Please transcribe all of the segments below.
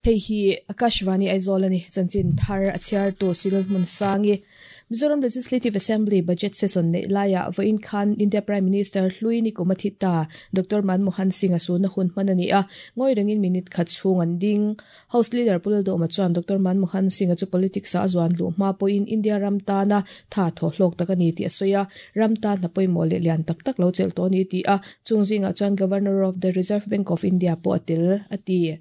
Hei hi Akashvani Aizawl a ni. Chanchin thar a chhiartu Cyril Hmunsangi. Mizoram Legislative Assembly Budget Session neih laiah vawiin khan India Prime Minister hlui Nikum a thi ta Doctor Manmohan Singh a sunna hun hman a ni a, ngawi rengin minute khat chhung an ding. House Leader Pu Lalduhma chuan Doctor Manmohan Singh-a chu politics-ah a zuan luh hma pawhin India ram tana tha thaw hlawk tak a ni tih a sawi a, ram tan hna pawimawh leh lian tak tak lo chelh tawh a ni tih a, chung zingah chuan Governor of the Reserve Bank of India pawh a tel, a ti.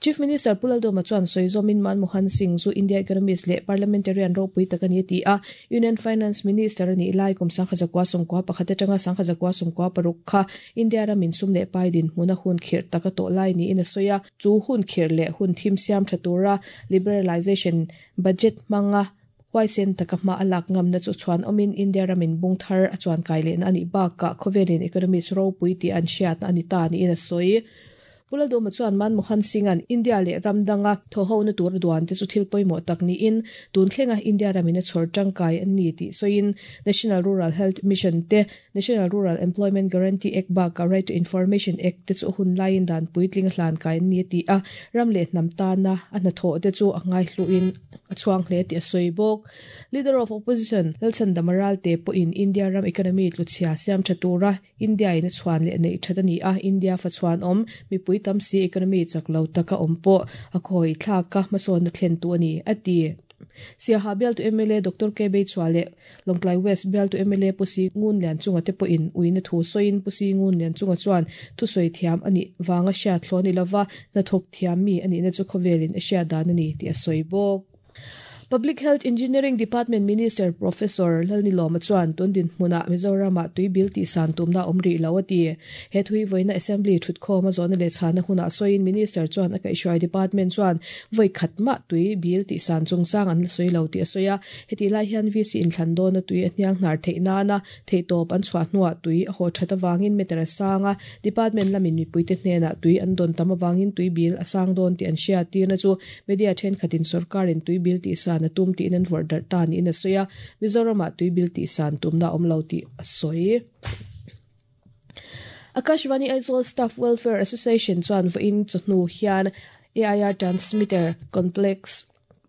Chief Minister Pu Lalduhma chuan sawi zawmin Manmohan Singh chu India economist leh parliamentarian ropui tak a ni a ti a, Union Finance Minister a nih lai kum 1991 atanga 1996 kha India ramin sum leh pai dinhmun a hun khirh tak a tawh lai niin a sawi a, chu hun khirh leh hun thim siam tha tura liberalisation budget hmanga huaisen taka hma a lak ngamna chu chhuan awmin India ramin bung thar a chuan kai lehna a nih bakah khawvelin economist ropui tih an hriatna a ni ta niin a sawi. Pu Lalduhma chuan Manmohan Singh-a'n India leh ram danga thawhhona tur a duan te chu thil pawimawh tak niin tun thlenga India ramin a chhawr tangkai an ni tih sawiin National Rural Health Mission te, National Rural Employment Guarantee Act bakah Right to Information Act te chu a hun laiin dan puitling a hlan kai an ni a ti a, ram leh hnam tana a hnathawh te chu a ngaihluhin a chhuang hle tih a sawi bawk. Leader of Opposition Lalchhandama Ralte pawhin India ram economy tluchhia siam tha tura India-in a chhuan leh neih that a ni a, India fa chhuan awm, mipui tam si economy chak lo taka awm pawh a khawi thlak a, hmasawnna thlentu a ni, a ti. Siaha bialtu mla Doctor K Beichhua leh Lawngtlai West bialtu mla Pu Si Ngun Lianchunga te pawhin uina thu sawiin Pu Si Ngun Lianchunga chuan thusawi thiam a nih vanga hriat thlawh a ni lova, hnathawk thiam mi a nihna chu khawvelin a hriat dan a ni tih a sawi bawk. Public Health Engineering Department Minister Professor Lalnilawma chuan tun dinhmunah Mizoramah tui bil tihsan tumna a awm rih lo a ti. He thui vawiina Assembly thutkhawm a zawhna leh chhana hunah sawiin Minister chuan a kaihhruai Department chuan vawi khat mah tui bil tihsan chungchang an la sawi lo tih a sawi a. Hetih lai hian VC inthlan dawna tui a hniang hnar theih nana theihtawp an chhuah hnuah tui a haw that avangin meter a sang a, Department lamin mipuite hnenah tui an dawn tam avangin tui bil a sang dawn tih an hria tirna chu Media thenkhatin sorkarin tui bil tihsan a tum tiin an vawrh darh ta niin a sawi a, Mizoramah tui bil tihsan tumna a awm lo tih a sawi. Akashvani Aizawl Staff Welfare Association chuan vawiin chawhnu hian AIR Transmitter Complex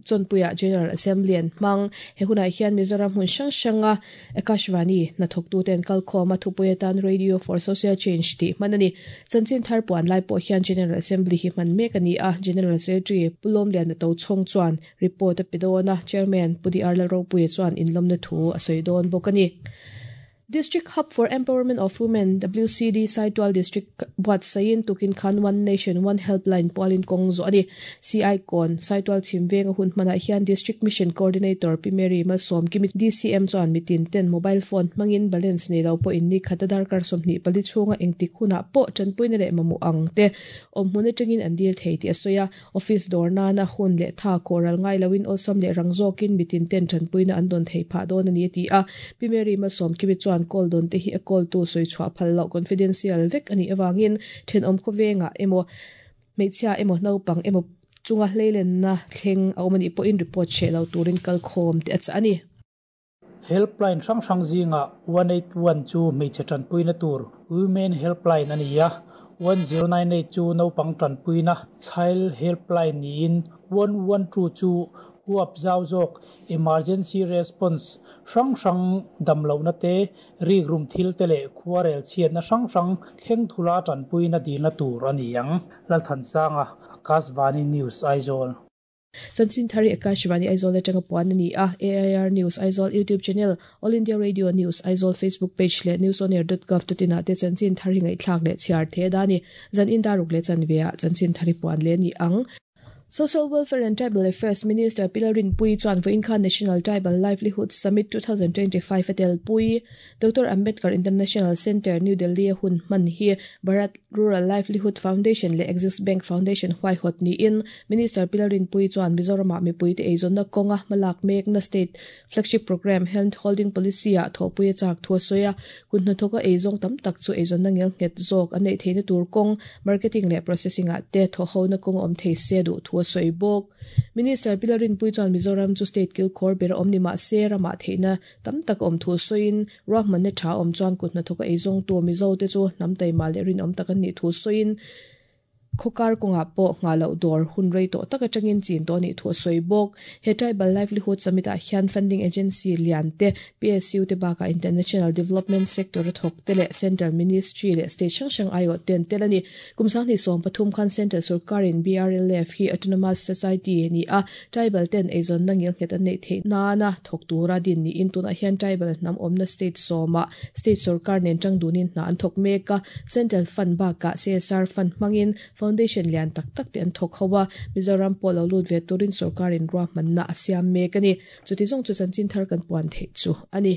Chawnpuiah General Assembly an hmang. He hunah hian Mizoram hmun hrang hranga Akashvani hnathawktute an kalkhawm a, thupui atan Radio for Social Change tih hman a ni. Chanchin thar puan lai pawh hian General Assembly hi hman mek a ni a, General Secretary Pu Lawmliana Tochhawng chuan report a pe dawn a, Chairman Pu DR Lalropuia chuan inlawmna thu a sawi dawn bawk a ni. District Hub for Empowerment of Women, WCD, Saitual District buatsaihin tukin khan One Nation, One Helpline pualin kawng zawh a ni. CI Kawn, Saitual chhim venga hun hmanah hian District Mission Coordinator Pi Mary Malsawmkimi, DCM, chuan mitin ten mobile phone hmangin balance nei lo pawhin ni khata darkar 24 chhunga engtik hunah pawh tanpuina leh mamawh ang te awm hmun atangin an dil thei tih a sawi a. Office dawr nana hun leh tha khawhral ngai loin awlsam leh rang zawkin mitin ten tanpuina an dawn theih phah dawn a ni a ti a. Pi Mary Malsawmkimi chuan call dawn te hi a call tu sawi chhuah phal loh confidential vek a nih avangin thenawm khawvengah emaw hmeichhia emaw naupang emaw chunga hleilenna thleng a awm a nih pawhin report hreh lo turin kalkhawm te a chah a ni. Helpline hrang hrang zingah 181 chu hmeichhe tanpuina tur Women Helpline a ni a, 1098 chu naupang tanpuina Child Helpline niin 112 chu huap zau zawk Emergency Response hrang hrang damlohna te, rikrum thil te leh khuarel chhiatna hrang hrang thleng thula tanpuina dilna tur a ni ang. Lalthansanga, Akashvani News, Aizawl. Chanchin Thari Akashvani Aizawl atanga puan a ni a, AIR News Aizawl YouTube Channel, All India Radio News Aizawl Facebook Page leh newsonair.gov.in ah te Chanchin Thari ngaihthlak leh chhiar the da ni. Zan in daruk leh chanve ah Chanchin Thari puan leh a ni ang. Social Welfare and Tribal Affairs Minister Pi Lalrinpuii chuan vawiin khan National Tribal Livelihood Summit 2025 a telpui. Doctor Ambedkar International Centre, New Delhi a hun hman hi Bharat Rural Livelihood Foundation leh Axis Bank Foundation huaihawt niin Minister Pi Lalrinpuii chuan Mizoramah mipuite eizawnna kawnga hmalak mekna State Flagship Programme Hand Holding Policy-ah thawhpui a chak thu a sawi a. Kut hnathawka eizawng tam tak chu eizawnna ngelnghet zawk an neih theihna tur kawng, marketing leh processing-ah te thawhhona kawng a awm thei se duh thu a sawi bawk. Minister Pi Lalrinpuii chuan Mizoram chu state kilkhawr ber a awm ni mah se ramah theihna tam tak awm thu sawiin ruahmanna tha awm chuan kut hnathawka eizawngtu Mizote chu hnam taima leh rinawm tak an nih thu sawiin Khawkar kawngah pawh nghah loh dawr hun rei tawh tak atangin chin tawh anih thu a sawi bawk. He Tribal Livelihood Summit ah hian funding agency lian te, PSU te bakah international development sector a thawk te leh central ministry leh state hrang hrang aiawh te an tel a ni. Kum 2013 khan central sorkarin BRLF hi autonomous society ni a, tribal ten eizawnna ngilnghet an neih theih nana thawk tura din niin tunah hian tribal hnam awmna state sawmah state sorkar nen tang dunin hna an thawk mek a, central fund bakah CSR fund hmangin foundation lian tak tak te an thawk ho a, Mizoram pawh lo lut ve turin sorkarin ruahmanna a siam mek a ni. Chuti zawng chu chanchin thar kan puan theih chu a ni.